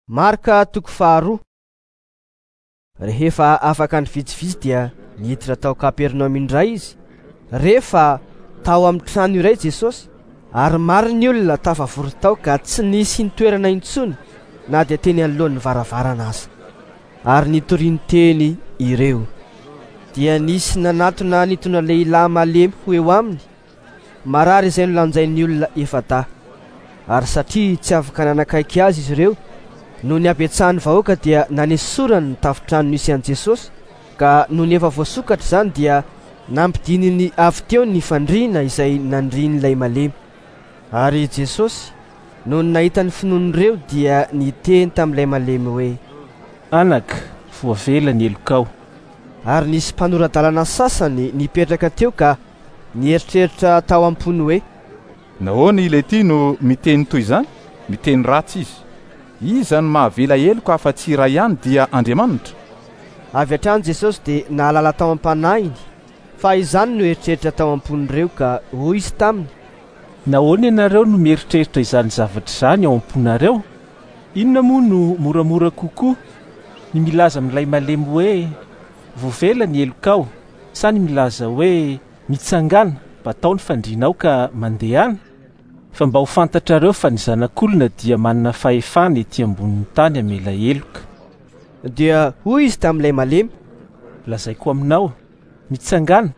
Marka toko faharoa. Rehefa afaka andro vitsivitsy dia niditra tao Kapernaomy indray izy. Rehefa tao amin'ny trano iray Jesosy, ary maro ny olona tafavory tao ka tsy nisy nitoerana intsony na dia teny anoloan'ny varavarana aza. Ary nitoriany teny ireo. Dia nisy nanatona nitondra lehilahy malemy ho eo aminy, marary izay nolanjain'ny olona efa-dahy. Ary satria tsy afaka nanakaiky azy izy ireo, noho ny habetsahan'ny vahoaka dia nanesorany ny tafontrano nisy an'i Jesosy, ka nony efa voasokatra izany dia nampidininy avy teo ny fandriana izay nandrian'ilay malemy. Ary Jesosy, nony nahita ny finoan'ireo dia niteny tamin'ilay malemy hoe: Anaka, voavela ny helokao. Ary nisy mpanora-dalana sasany nipetraka teo ka nieritreritra tao am-pony hoe: Nahoana ilay ity no miteny toy izany? Miteny ratsy izy. Iza no mahavela heloka afa-tsy iray ihany dia Andriamanitra? Avy hatrany Jesosy dia nahalala tao am-panahiny fa izany no eritreritra tao am-pon'ireo ka hoy izy taminy: Nahoana ianareo no mieritreritra izany zavatra izany ao am-ponareo? Inona moa no moramora kokoa, ny milaza amin'ilay malemy hoe, Voavela ny helokao, sa ny milaza hoe, Mitsangàna, batao ny fandrianao ka mandehana? Fa mba ho fantatrareo fa ny Zanak'olona dia manana fahefana ety ambonin'ny tany hamela heloka. Dia hoy izy tamin'ilay malemy: Lazaiko aminao, mitsangàna,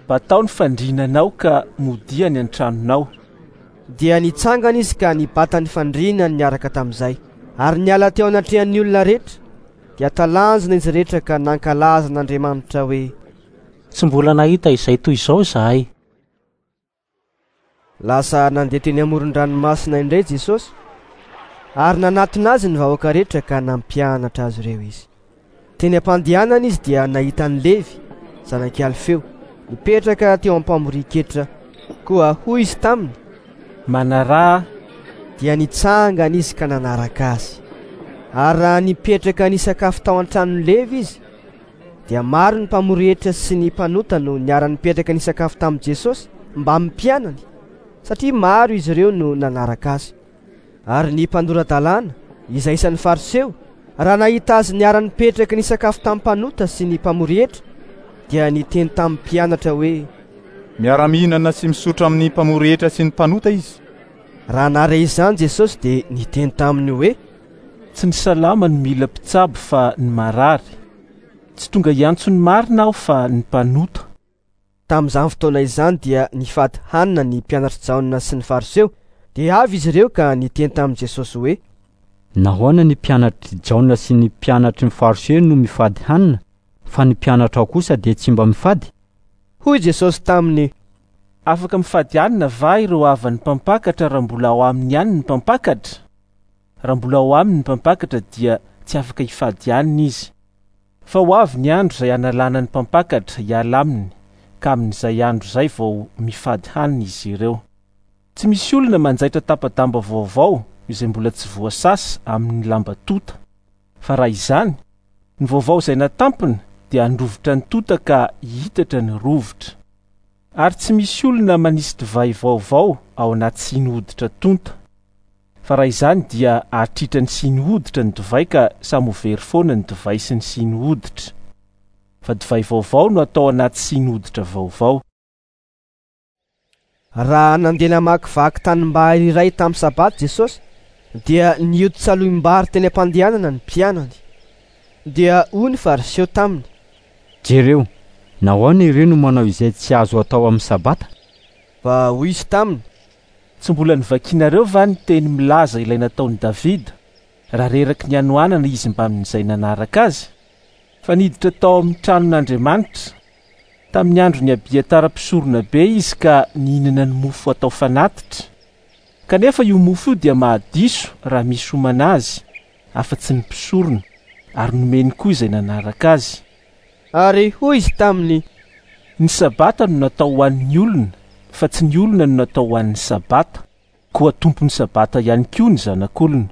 batao ny fandriananao ka modia any an-tranonao. Dia nitsangana izy ka nibata ny fandrianany niaraka tamin'izay, ary niala teo anatrehan'ny olona rehetra. Dia talanjona izy rehetra ka nankalaza an'Andriamanitra hoe: Tsy mbola nahita izay toy izao izahay. Lasa nandeha teny amoron-dranomasina indray Jesosy, ary nanatona azy ny vahoaka rehetra ka nampianatra azy ireo izy. Teny am-pandehanana izy dia nahita an'i Levy, zanak'i Alfeo, nipetraka teo am-pamorian-ketra. Koa hoy izy taminy: Manaraha. Dia nitsangana izy ka nanaraka azy. Ary raha nipetraka nisakafo tao an-tranon'i Levy izy, dia maro ny mpamory hetra sy ny mpanota no niara-nipetraka nisakafo tamin'i Jesosy mbamin'ny mpianany, satria maro izy ireo no nanaraka azy. Ary ny mpanora-dalàna, izay isan'ny Fariseo, raha nahita azy niara-nipetraka nisakafo tamin'ny mpanota sy ny mpamory hetra, dia niteny tamin'ny mpianatra hoe: Miara-mihinana sy misotro amin'ny mpamory hetra sy ny mpanota izy. Raha nahare izany Jesosy dia niteny taminy hoe: Tsy ny salama no mila mpitsabo fa ny marary. Tsy tonga hiantso ny marina aho fa ny mpanota. Tamin'izany fotoana izany dia nifady hanina ny mpianatr'i Jaona sy ny Fariseo. Dia avy izy ireo ka niteny tamin'i Jesosy hoe: Nahoana ny mpianatr'i Jaona sy ny mpianatry ny Fariseo no mifady hanina, fa ny mpianatrao kosa dia tsy mba mifady? Hoy Jesosy taminy: Afaka mifady hanina va ireo havan'ny mpampakatra raha mbola ao aminy ihany ny mpampakatra? Raha mbola ao aminy ny mpampakatra dia tsy afaka hifady hanina izy. Fa ho avy ny andro izay hanalana ny mpampakatra hiala aminy, ka amin'izay andro izay vao mifady hanina izy ireo. Tsy misy olona manjaitra tapa-damba vaovao izay mbola tsy voasasa amin'ny lamba tonta. Fa raha izany, ny vaovao izay natampina dia handrovitra ny tonta ka hihitatra ny rovitra. Ary tsy misy olona manisy divay vaovao ao anaty siny hoditra tonta. Fa raha izany dia hahatritra ny siny hoditra ny divay ka samy ho very foana ny divay sy ny siny hoditra. Fa divay vaovao no atao anaty siny hoditra vaovao. Raha nandeha namakivaky tanimbary iray tamin'ny Sabata Jesosy, dia nioty salohim-bary teny am-pandehanana ny mpianany. Dia hoy ny Fariseo taminy: Jereo, nahoana ireo no manao izay tsy azo atao amin'ny Sabata? Fa hoy izy taminy: Tsy mbola novakinareo va ny teny milaza ilay nataon'i Davida, raha reraky ny hanoanana izy mbamin'izay nanaraka azy? Fa niditra tao amin'ny tranon'Andriamanitra, tamin'ny andron'i Abiatara mpisoronabe izy ka nihinana ny mofo atao fanatitra. Kanefa io mofo io dia mahadiso raha misy homana azy, afa-tsy ny mpisorona, ary nomeny koa izay nanaraka azy. Ary hoy izy taminy: Ny Sabata no natao ho an'ny olona, fa tsy ny olona no natao ho an'ny Sabata, koa tompon'ny Sabata ihany koa ny Zanak'olona.